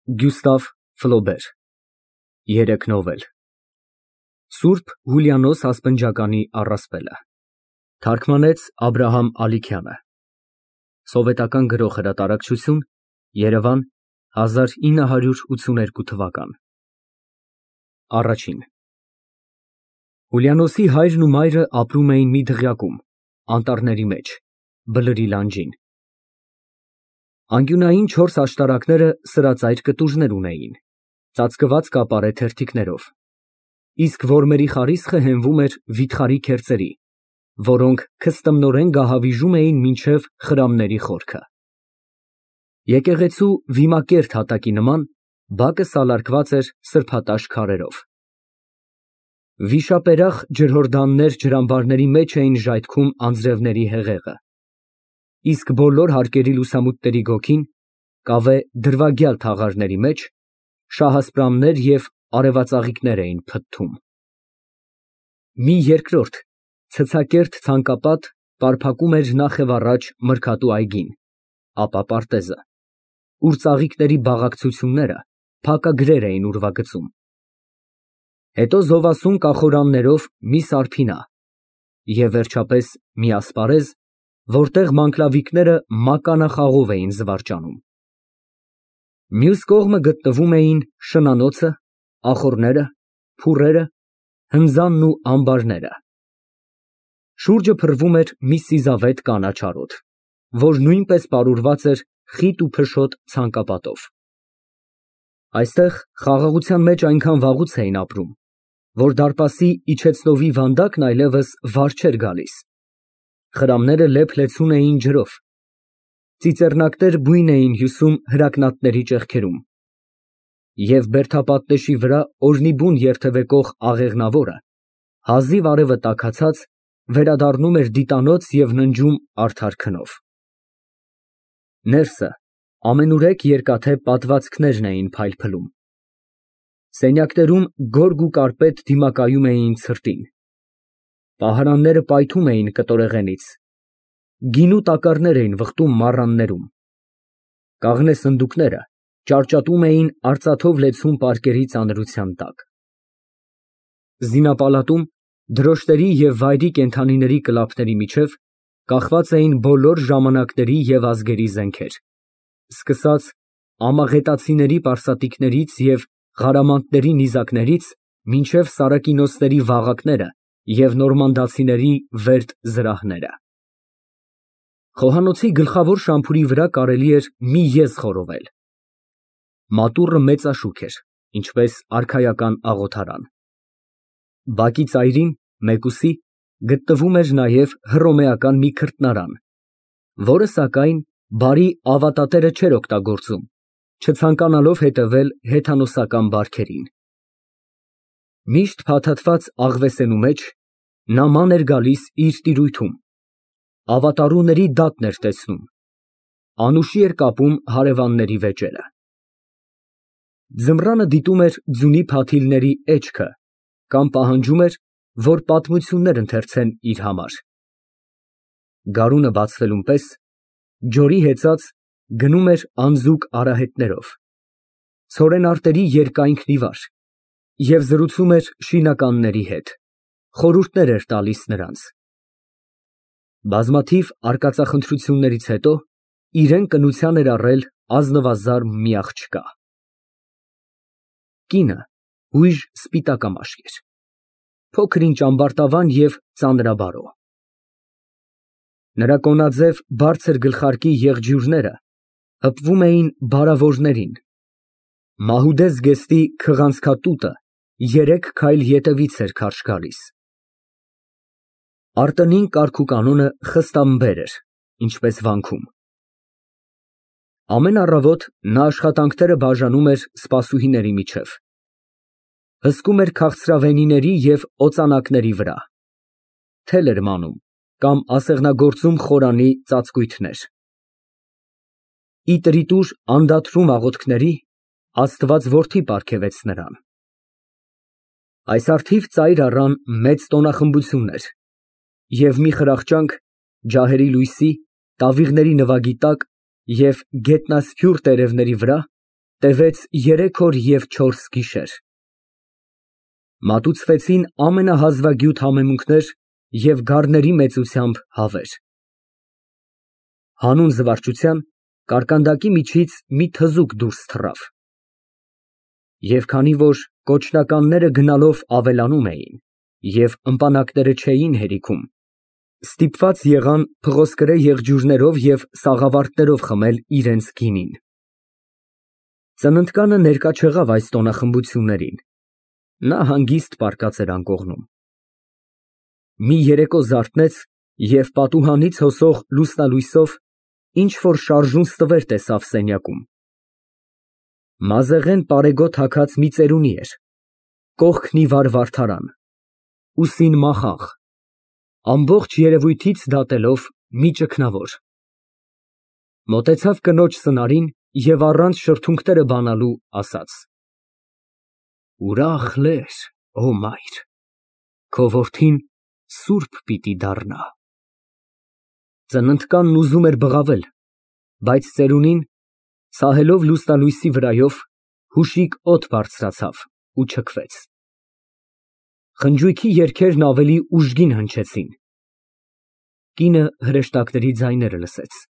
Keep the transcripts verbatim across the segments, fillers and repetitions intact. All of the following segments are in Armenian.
Գյուստավ Ֆլոբեր Երեք նովել Սուրբ Հուլիանոս ասպնջականի առասպելը Թարգմանեց Աբրահամ Ալիքյանը Սովետական Գրող Հրատարակչություն Երևան հազար ինը հարյուր ութսուներկու թվական Առաջին Հուլիանոսի հայրն ու մայրը ապրում էին մի դղյակում, անտառների մեջ, բլրի լանջին։ Անկյունային չորս աշտարակները սրածայր կտուժներ ունեին, ծածկված կապարե թերթիկներով, իսկ որմերի խարիսխը հենվում էր վիթխարի քերծերի, որոնք քստմնորեն գահավիժում էին մինչև խրամների խորքը։ Եկեղեցու վիմակերտ հատակի նման բակը սալարկված էր սրբատաշ քարերով։ Վիշապերախ ջրհորդաններ ջրամբարների մեջ էին ժայթքում անձրևների հեղեղը, իսկ բոլոր հարկերի լուսամուտների գոգին կավե դրվագյալ թաղարների մեջ շահասպրամներ և արևածաղիկներ էին փթթում։ Մի երկրորդ ցցակերտ ցանկապատ պարփակում էր նախևառաջ մրգատու այգին, ապա պարտեզը, ուր ծաղիկների բաղակցությունները փակագրեր էին ուրվագծում։ Հետո զովասուն կախորաններով մի սարփինա և վերջապես մի ասպարեզ, որտեղ մանկլավիկները մականախաղով էին զվարճանում։ Մյուս կողմը գտնվում էին շնանոցը, ախոռները, փուռերը, հնձանն ու ամբարները։ Շուրջը փռվում էր մի սիզավետ կանաչ արոտ, որ նույնպես պարուրված էր խիտ ու փշոտ ցանկապատով։ Այստեղ խաղաղության մեջ այնքան վաղուց էին ապրում, որ դարպասի իջեցնովի վանդակն այլևս վար չէր գալիս, խրամները լեփ֊լեցուն էին ջրով, ծիծեռնակներ բույն էին հյուսում հրակնատների ճեղքերում, և բերդապատնեշի վրա օրհնիբուն երթևեկող աղեղնավորը, հազիվ արևը տաքացած, վերադառնում էր դիտանոց և ննջում արդար քնով։ Ներսը ամենուրեք երկաթե պատվածքներն էին փայլփլում։ Սենյակներում գորգ ու կարպետ դիմակայում էին ցրտին։ Պահարանները պայթում էին կտորեղենից, գինու տակառներ էին վխտում մառաններում։ Կաղնե սնդուկները ճարճատում էին արծաթով լեցուն պարկերի ծանրության տակ։ Զինապալատում դրոշտերի և վայրի կենդանիների կլափների միջև կախված էին բոլոր ժամանակների և ազգերի զենքեր, սկսած ամաղետացիների պարսատիկներից և ղարամանտների նիզակներից մինչև սարակինոսների վաղակները և նորմանդացիների վերդ զրահները։ Խոհանոցի գլխավոր շամփուրի վրա կարելի էր մի եզ խորովել։ Մատուռը մեծաշուք էր, ինչպես արքայական աղոթարան։ Բակի ծայրին, մեկուսի, գտնվում էր նաև հռոմեական մի քրտնարան, որը, սակայն, բարի ավատատերը չէր օգտագործում, չցանկանալով հետևել հեթանոսական բարքերին։ Միշտ փաթաթված աղվեսենու մեջ նա ման էր գալիս իր տիրույթում, ավատարուների դատն էր տեսնում, անուշի էր կապում հարևանների վեճերը։ Ձմռանը դիտում էր ձյունի փաթիլների էջքը կամ պահանջում էր, որ պատմություններ ընթերցեն իր համար։ Գարունը բացվելուն պես ջորի հեծած գնում էր անձուկ արահետներով, ցորենարտերի երկայնքն ի վար և զրուցում էր շինականների հետ, խորհուրդներ էր տալիս նրանց։ Բազմաթիվ արկածախնդրություններից հետո իրեն կնության էր առել ազնվազարմ մի աղջկա։ Կինը հույժ սպիտակամաշկ էր, փոքր-ինչ ամբարտավան և ծանրաբարո։ Նրա կոնաձև բարձր գլխարկի եղջյուրները հպվում էին բարավորներին, մահուդե զգեստի քղանցքատուտը երեք քայլ ետևից էր քարշ գալիս։ Արտընին կարգուկանոնը խստամբեր էր, ինչպես վանքում։ Ամեն առավոտ նա աշխատանքները բաժանում էր սպասուհիների միջև, հսկում էր քաղցրավենիների և օծանակների վրա, թել էր մանում կամ ասեղնագործում խորանի ծածկույթներ։ Ի տրիտուր անդադրում աղոթքների Աստված որդի պարգևեց նրան։ Այս առթիվ ծայր առան մեծ տոնախմբություններ, և մի խրախճանք ջահերի լույսի, տավիղների նվագի տակ և գետնասփյուռ տերևների վրա Տևեց երեք օր և չորս գիշեր։ Մատուցվեցին ամենահազվագյուտ համեմունքներ և գառների մեծությամբ հավեր։ Հանուն զվարճության կարկանդակի միջից մի թզուկ դուրս թռավ։ Եվ քանի որ կոչնականները գնալով ավելանում էին և ըմպանակները չէին հերիքում, ստիպված եղան փղոսկրե եղջյուրներով և սաղավարտներով խմել իրենց գինին։ Ծննդկանը ներկա չեղավ այս տոնախմբություններին, նա հանգիստ պառկած էր անկողնում։ Մի երեկո զարթնեց և պատուհանից հոսող լուսնալույսով ինչ֊որ շարժուն ստվեր տեսավ սենյակում։ Մազեղեն պարեգոտ հագած մի ծերունի էր, կողքն ի վար վարդարան, ուսին մախաղ, ամբողջ երևույթից դատելով մի ճգնավոր։ Մոտեցավ կնոջ սնարին և առանց շրթունքները բանալու ասաց. «Ուրախ լեր, ո մայր, քո որդին սուրբ պիտի դառնա»։ Ծննդկանն ուզում էր բղավել, բայց ծերունին, սահելով լուսնալույսի վրայով, հուշիկ օդ բարձրացավ ու չքվեց։ Խնջույքի երգերն ավելի ուժգին հնչեցին։ Կինը հրեշտակների ձայները լսեց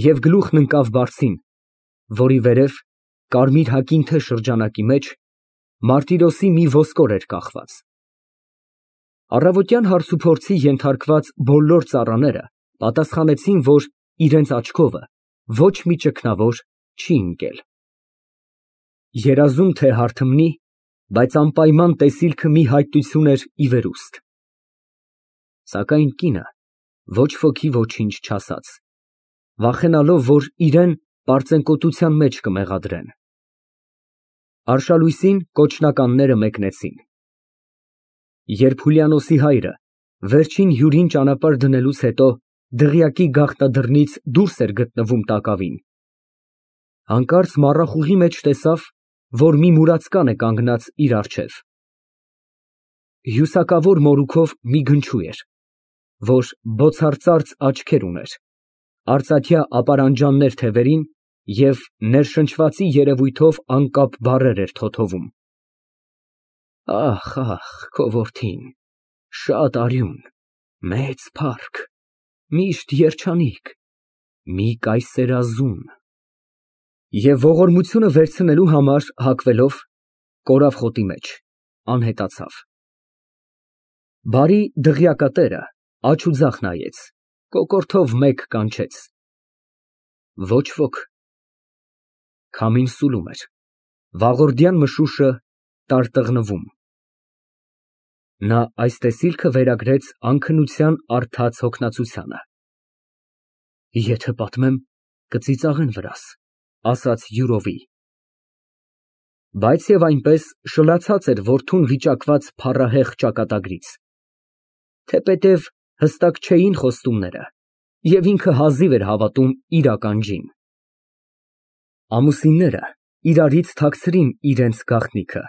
և գլուխն ընկավ բարձին, որի վերև, կարմիր հագինթե շրջանակի մեջ, մարտիրոսի մի ոսկոր էր կախված։ Առավոտյան հարցուփորձի ենթարկված բոլոր ծառաները պատասխանեցին, որ իրենց աչքովը ոչ մի ճգնավոր չի ընկել։ Երազում թե հարթմնի, բայց անպայման տեսիլքը մի հայտություն էր ի վերուստ։ Սակայն կինը ոչ ոքի ոչինչ չասաց, վախենալով, որ իրան պարծենկոտության մեջ կմեղադրեն։ Արշալույսին կոչնականները մեկնեցին։ Երբ Հուլիանոսի հայրը վերջին հյուրին ճանապարհ դնելուց հետո դղյակի գաղտնադռնից դուրս էր գտնվում տակավին, հանկարծ մառախուղի մեջ տեսավ, որ մի մուրացկան է կանգնած իր առջև։ Հյուսակավոր մորուքով մի գնչու էր, որ բոցարծարծ աչքեր ուներ, արծաթյա ապարանջաններ թևերին և ներշնչվածի երևույթով անկապ բառեր էր թոթովում. «Ախ, ախ, քո որդին, շատ արյուն, մեծ փառք, միշտ երջանիկ, մի կայսերազուն»։ Եվ ողորմությունը վերցնելու համար հագվելով, կորավ խոտի մեջ, անհետացավ։ Բարի դղյակատերը աջ ու ձախ նայեց, կոկորդով մեկ կանչեց. ոչ ոք։ Քամին սուլում էր, վաղորդյան մշուշը տարտղնվում։ Նա այս տեսիլքը վերագրեց անքնության առթած հոգնածությանը։ Եթե պատմեմ, կծիծաղեն վրաս, ասաց յուրովի։ Բայց և այնպես շլացած էր որդուն վիճակված փառահեղ ճակատագրից, թեպետև հստակ չէին խոստումները, և ինքը հազիվ էր հավատում իր ականջին։ Ամուսինները իրարից թաքցրին իրենց գաղտնիքը,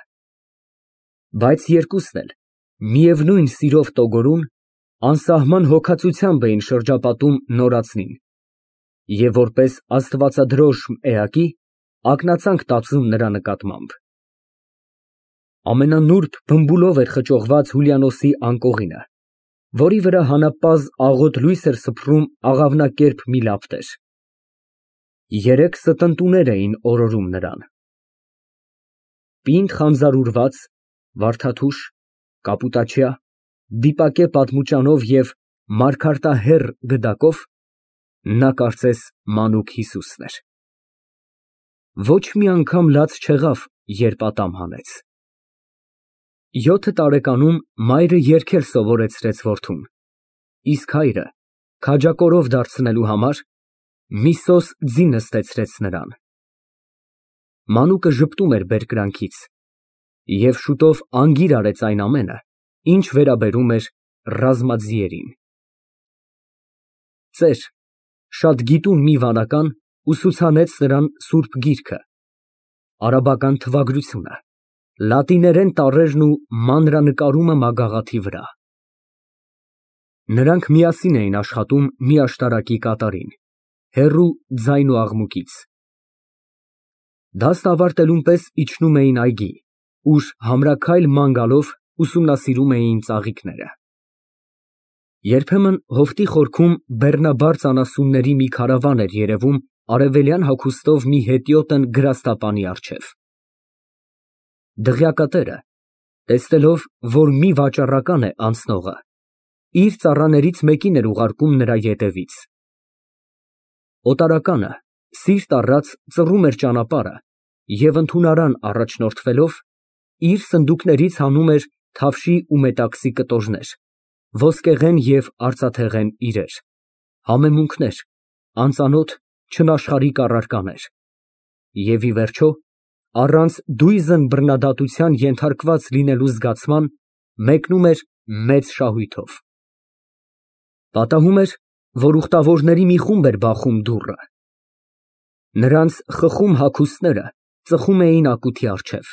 բայց երկուսն էլ միևնույն սիրով տոգորուն, անսահման հոգածությամբ էին շրջապատում նորածնին և որպես աստվածադրոժմ էակի ակնածանք տածում նրա նկատմամբ։ Ամենանուրբ բմբուլով էր խճողված Հուլիանոսի անկողինը, որի վրա հանապազը աղոտ լույս էր սփռում աղավնակերպ մի լապտեր։ Երեք ստընտուներ էին օրորում նրան։ Պինդ խանձարուրված, վարդաթուշ, կապուտաչյա, դիպակե պատմուճանով և մարգարտահեռ գդակով, նա կարծես մանուկ Հիսուսն էր։ Ոչ մի անգամ լաց չեղավ, երբ ատամ հանեց։ Յոթ տարեկանում մայրը երգել սովորեցրեց որդուն, իսկ հայրը, քաջակորով դարձնելու համար, միսոս ձի նստեցրեց նրան։ Մանուկը ժպտում էր բերկրանքից և շուտով անգիր արեց այն ամենը, ինչ վերաբերում էր ռազմաձիերին։ Ծեր, շատ գիտուն մի վանական ուսուցանեց նրան սուրբ գիրքը, արաբական թվագրությունը, լատիներեն տառերն ու մանրանկարումը մագաղաթի վրա։ Նրանք միասին էին աշխատում մի աշտարակի կատարին, հեռու ձայն ու աղմուկից։ Դասն ավարտելուն պես իջնում էին այգի, ուր համրաքայլ ման գալով ուսումնասիրում էին ծաղիկները։ Երբեմն հովտի խորքում բեռնաբարց անասունների մի քարավան էր երևում արևելյան հագուստով մի հետիոտն գրաստապանի առջև։ Դղյակատերը, տեսնելով, որ մի վաճառական է անցնողը, իր ծառաներից մեկին էր ուղարկում նրա ետևից։ Օտարականը սիրտ առած ծռում էր ճանապարհը և ընդունարան առաջնորդվելով, իր սնդուկներից հանում էր թավշի ու մետաքսի կտորներ, ոսկեղեն և արծաթեղեն իրեր, համեմունքներ, անծանոթ չնաշխարհիկ առարկաներ և, ի վերջո, առանց դույզն բռնադատության ենթարկված լինելու զգացման, մեկնում էր մեծ շահույթով։ Պատահում էր, որ ուխտավորների մի խումբ էր բախում դուռը։ Նրանց խխում հագուստները ծխում էին ակութի առջև։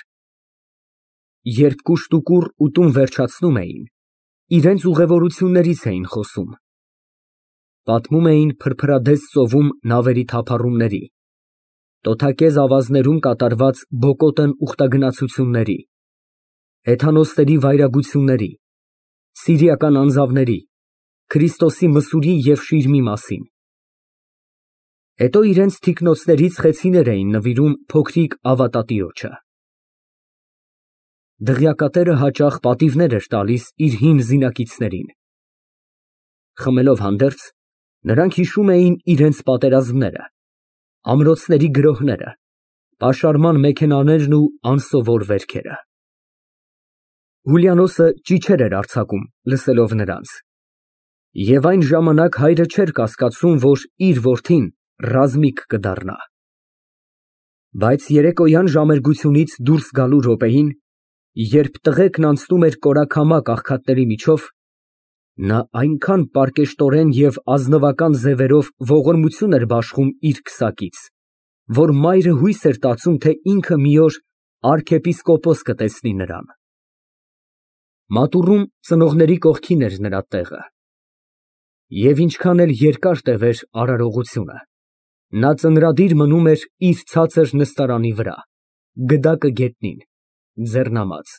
Երբ կուշտուկուռ ուտում վերջացնում էին, իրենց ուղևորություններից էին խոսում։ Պատմում էին փրփրադես ծովում նավերի թափառումների, տոթակեզ ավազներում կատարված բոկոտն ուխտագնացությունների, հեթանոսների վայրագությունների, սիրիական անձավների, Քրիստոսի մսուրի և շիրմի մասին։ Հետո իրենց թիկնոցներից խեցիներ էին նվիրում փոքրիկ ավատատիրոջը։ Դղյակատերը հաճախ պատիվներ էր տալիս իր հին զինակիցներին։ Խմելով հանդերձ, նրանք հիշում էին իրենց պատերազմները, ամրոցների գրոհները, պաշարման մեքենաներն ու անսովոր վերքերը։ Հուլիանոսը ճիչեր էր արձակում, լսելով նրանց, և այն ժամանակ հայրը չէր կասկածում, որ իր որդին ռազմիկ կդառնա։ Բայց երեկոյան ժամերգությունից դուրս գալու րոպեին, երբ տղեկն անցնում էր կորաքամակ աղքատների միջով, նա այնքան պարկեշտորեն և ազնվական ձևերով ողորմություն էր բաշխում իր քսակից, որ մայրը հույս էր տածում, թե ինքը մի օր արքեպիսկոպոս կտեսնի նրան։ Մատուռում ծնողների կողքին էր նրա տեղը, և ինչքան էլ երկար տևեր արարողությունը, նա ծնրադիր մնում էր իր ցածր նստարանի վրա, գդակը գետնին, ձեռնամած։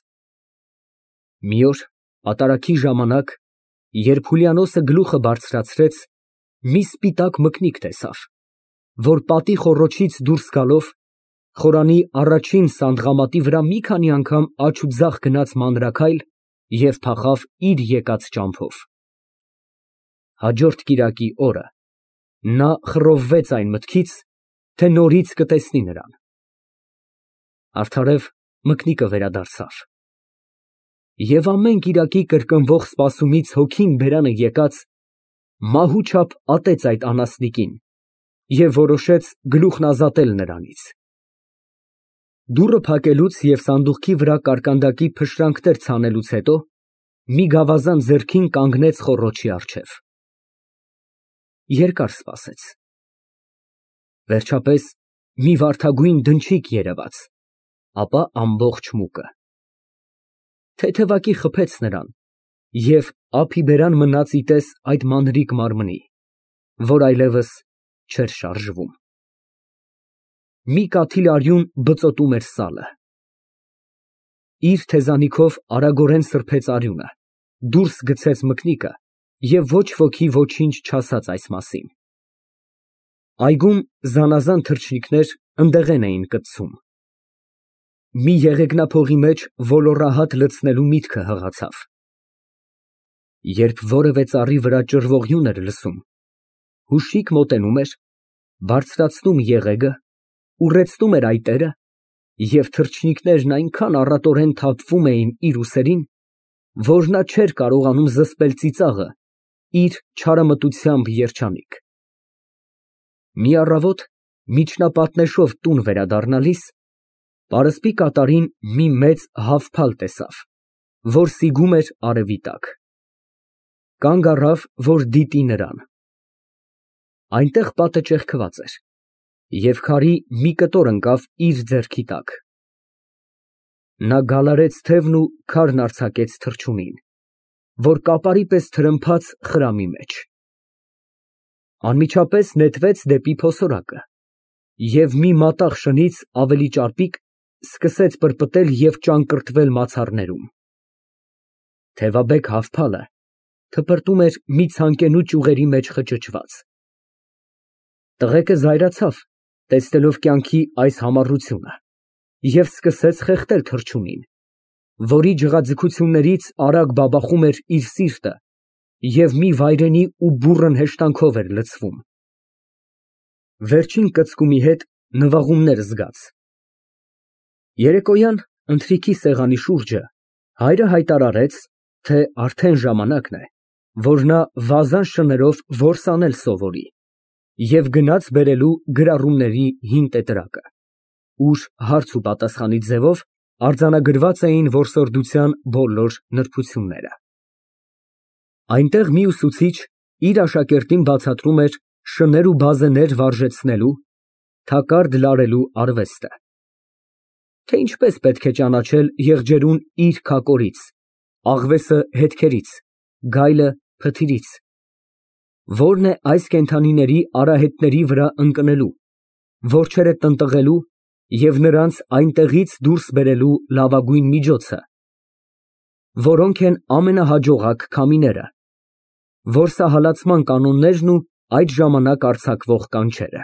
Մի օր պատարագի ժամանակ, երբ Հուլիանոսը գլուխը բարձրացրեց, մի սպիտակ մկնիկ տեսավ, որ պատի խոռոչից դուրս գալով, խորանի առաջին սանդղամատի վրա մի քանի անգամ աջ ու ձախ գնաց մանրաքայլ և փախավ իր եկած ճամփով։ Հաջորդ կիրակի օրը նա խռովվեց այն մտքից, թե նորից կտեսնի նրան։ Արդարև մկնիկը վերադարձավ։ Եվ ամեն կիրակի կրկնվող սպասումից հոգին բերանը եկած, մահու չափ ատեց այդ անասնիկին և որոշեց գլուխն ազատել նրանից։ Դուռը փակելուց և սանդուղքի վրա կարկանդակի փշրանքներ ցանելուց հետո մի գավազան ձեռքին կանգնեց խոռոչի առջև։ Երկար սպասեց։ Վերջապես մի վարդագույն դնչիկ երևաց, ապա ամբողջ մուկը։ Թեթևակի խփեց նրան և ափի բերան մնաց ի տես այդ մանրիկ մարմնի, որ այլևս չէր շարժվում։ Մի կաթիլ արյուն բծոտում էր սալը։ Իր թեզանիքով արագորեն սրբեց արյունը, դուրս գցեց մկնիկը և ոչ ոքի ոչինչ չասաց այս մասին։ Այգում զանազան թռչնիկներ ընդեղեն էին կծում։ Մի եղեգնափողի մեջ ոլոռահատ լցնելու միտքը հղացավ։ Երբ որևէ ծառի վրա ճռվողյուն էր լսում, հուշիկ մոտենում էր, բարձրացնում եղեգը, ուռեցնում էր այտերը, և թռչնիկներն այնքան առատորեն թափվում էին իր ուսերին, որ նա չէր կարողանում զսպել ծիծաղը իր չարամտությամբ երջանիկ։ Մի առավոտ միջնապատնեշով տուն վերադառնալիս, պարսպի կատարին մի մեծ հավփալ տեսավ, որ սիգում էր արևի տակ։ Կանգ առավ, որ դիտի նրան։ Այնտեղ պատը ճեղքված էր, և քարի մի կտոր ընկավ իր ձեռքի տակ։ Նա գալարեց թևն ու քարն արձակեց թռչունին, որ կապարի պես թրմփաց խրամի մեջ։ Անմիջապես նետվեց դեպի փոսորակը և մի մատաղ շնից ավելի ճարպիկ սկսեց պրպտել և ճանկռտվել մացառներում։ Թևաբեկ հավփալը թպրտում էր մի ցանկենու ճյուղերի մեջ խճճված։ Տղեկը զայրացավ, տեսնելով կյանքի այս համառությունը, և սկսեց խեղդել թռչունին, որի ջղաձգություններից արագ բաբախում էր իր սիրտը և մի վայրենի ու բուռն հեշտանքով էր լցվում։ Վերջին կծկումի հետ նվաղումներ զգաց։ Երեկոյան ընթրիքի սեղանի շուրջը հայրը հայտարարեց, թե արդեն ժամանակն է, որ նա վազան շներով որս անել սովորի, և գնաց բերելու գրառումների հին տետրակը, ուր հարց ու պատասխանի ձևով արձանագրված էին որսորդության բոլոր նրբությունները։ Այնտեղ մի ուսուցիչ իր աշակերտին բացատրում էր շներ ու բազեներ վարժեցնելու, թակարդ լարելու արվեստը, թե ինչպես պետք է ճանաչել եղջերուն իր քակորից, աղվեսը հետքերից, գայլը փթիրից, որն է այս կենդանիների արահետների վրա ընկնելու, որջերը տնտղելու և նրանց այնտեղից դուրս բերելու լավագույն միջոցը, որոնք են ամենահաջողակ քամիները, որսահալացման կանոններն ու այդ ժամանակ արձակվող կանչերը։